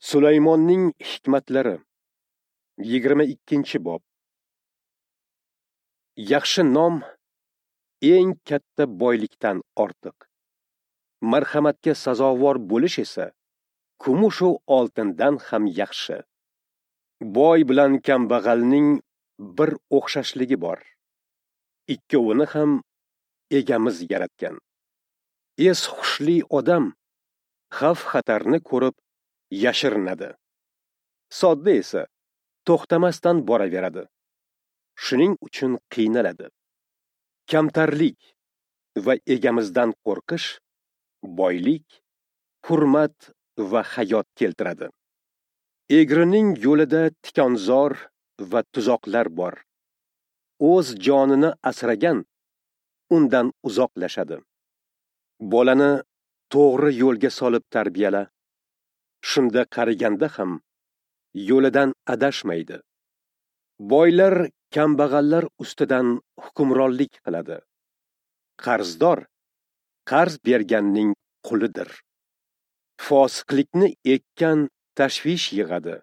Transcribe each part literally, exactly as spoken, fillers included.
Sulaymonning hikmatlari, yigirma ikkinchi bob. Yaxshi nom eng katta boylikdan ortiq. Marhamatga sazovor bo'lish esa kumush va oltindan ham yaxshi. Boy bilan kambag'alning bir o'xshashligi bor. Ikkovini ham egamiz yaratgan. Es hushli odam xavf-xatarni ko'rib yashirinadi. Sodda esa to'xtamasdan boraveradi. Shuning uchun qiynaladi. Kamtarlik va egamizdan qo'rqish boylik, hurmat va hayot keltiradi. Egrining yo'lida tikonzor va tuzoqlar bor. O'z jonini asragan undan uzoqlashadi. Bolani to'g'ri yo'lga solib tarbiyala. Shunda qariganda ham yo'lidan adashmaydi. Boylar kambag'allar ustidan hukmronlik qiladi. Qarzdor qarz berganning qulidir. Fosiqlikni ekkan tashvish yig'adi.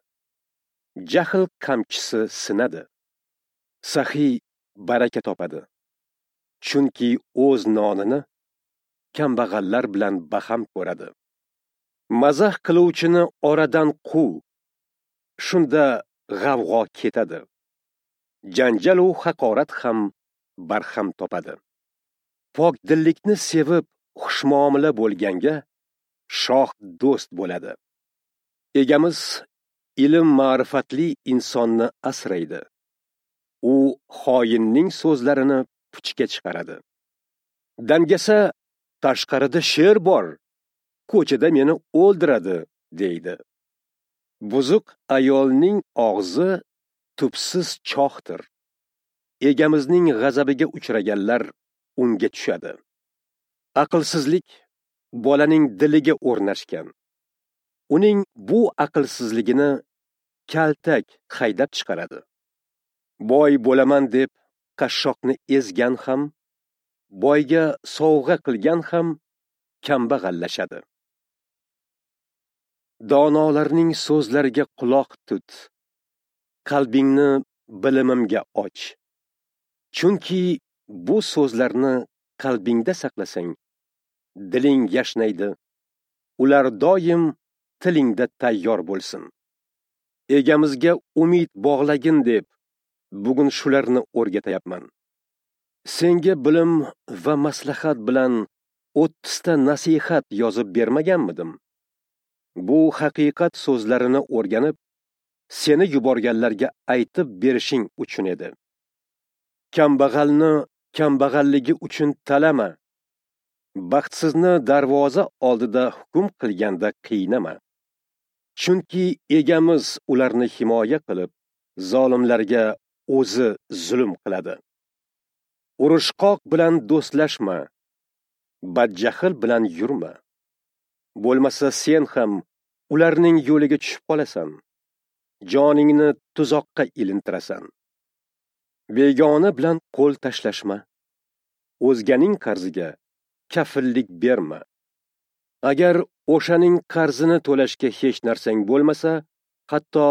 Jahl qamchisi sinadi. Saxiy baraka topadi. Chunki o'z nonini kambag'allar bilan baham ko'radi. Mazax qiluvchini oradan quv. Shunda g'avg'o ketadi. Janjal u haqorat ham barham topadi. Pok dillikni sevib xushmuomala bo'lganga shoh do'st bo'ladi. Egamiz ilm ma'rifatli insonni asraydi. U xoinning so'zlarini puchga chiqaradi. Dangasa tashqarida sher bor, ko'chada meni o'ldiradi, deydi. Buzuq ayolning og'zi tubsiz chohdir. Egamizning g'azabiga uchraganlar unga tushadi. Aqlsizlik bolaning diliga o'rnashgan. Uning bu aqlsizligini kaltak haydab chiqaradi. Boy bo'laman deb qashshoqni ezgan ham, boyga sovg'a qilgan ham kambag'allashadi. Donolarning so'zlariga quloq tut. Qalbingni bilimimga och. Chunki bu so'zlarni qalbingda saqlasang, diling yashnaydi. Ular doim tilingda tayyor bo'lsin. Egamizga umid bog'lagin deb bugun shularni o'rgatayapman. Senga bilim va maslahat bilan o'ttizta nasihat yozib bermaganmidim? Bu haqiqat so'zlarini o'rganib, seni yuborganlarga aytib berishing uchun edi. Kambag'alni kambag'alligi uchun talama. Baxtsizni darvoza oldida hukm qilganda qiynama. Chunki egamiz ularni himoya qilib, zolimlarga o'zi zulm qiladi. Urushqoq bilan do'stlashma, badjahl bilan yurma. Bo'lmasa sen ham ularning yo'liga tushib qolasan. Joningni tuzoqqa ilintirasan. Begona bilan qo'l tashlashma. O'zganing qarziga kafillik berma. Agar o'shaning qarzini to'lashga hech narsang bo'lmasa, hatto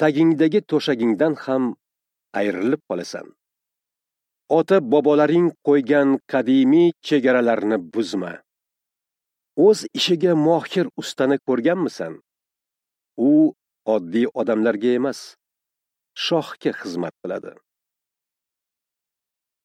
tagingdagi to'shagingdan ham ayrilib qolasan. Ota bobolaring qo'ygan qadimiy chegaralarni buzma. O'z ishiga mohir ustani ko'rganmisan? U oddiy odamlarga emas, shohga xizmat qiladi.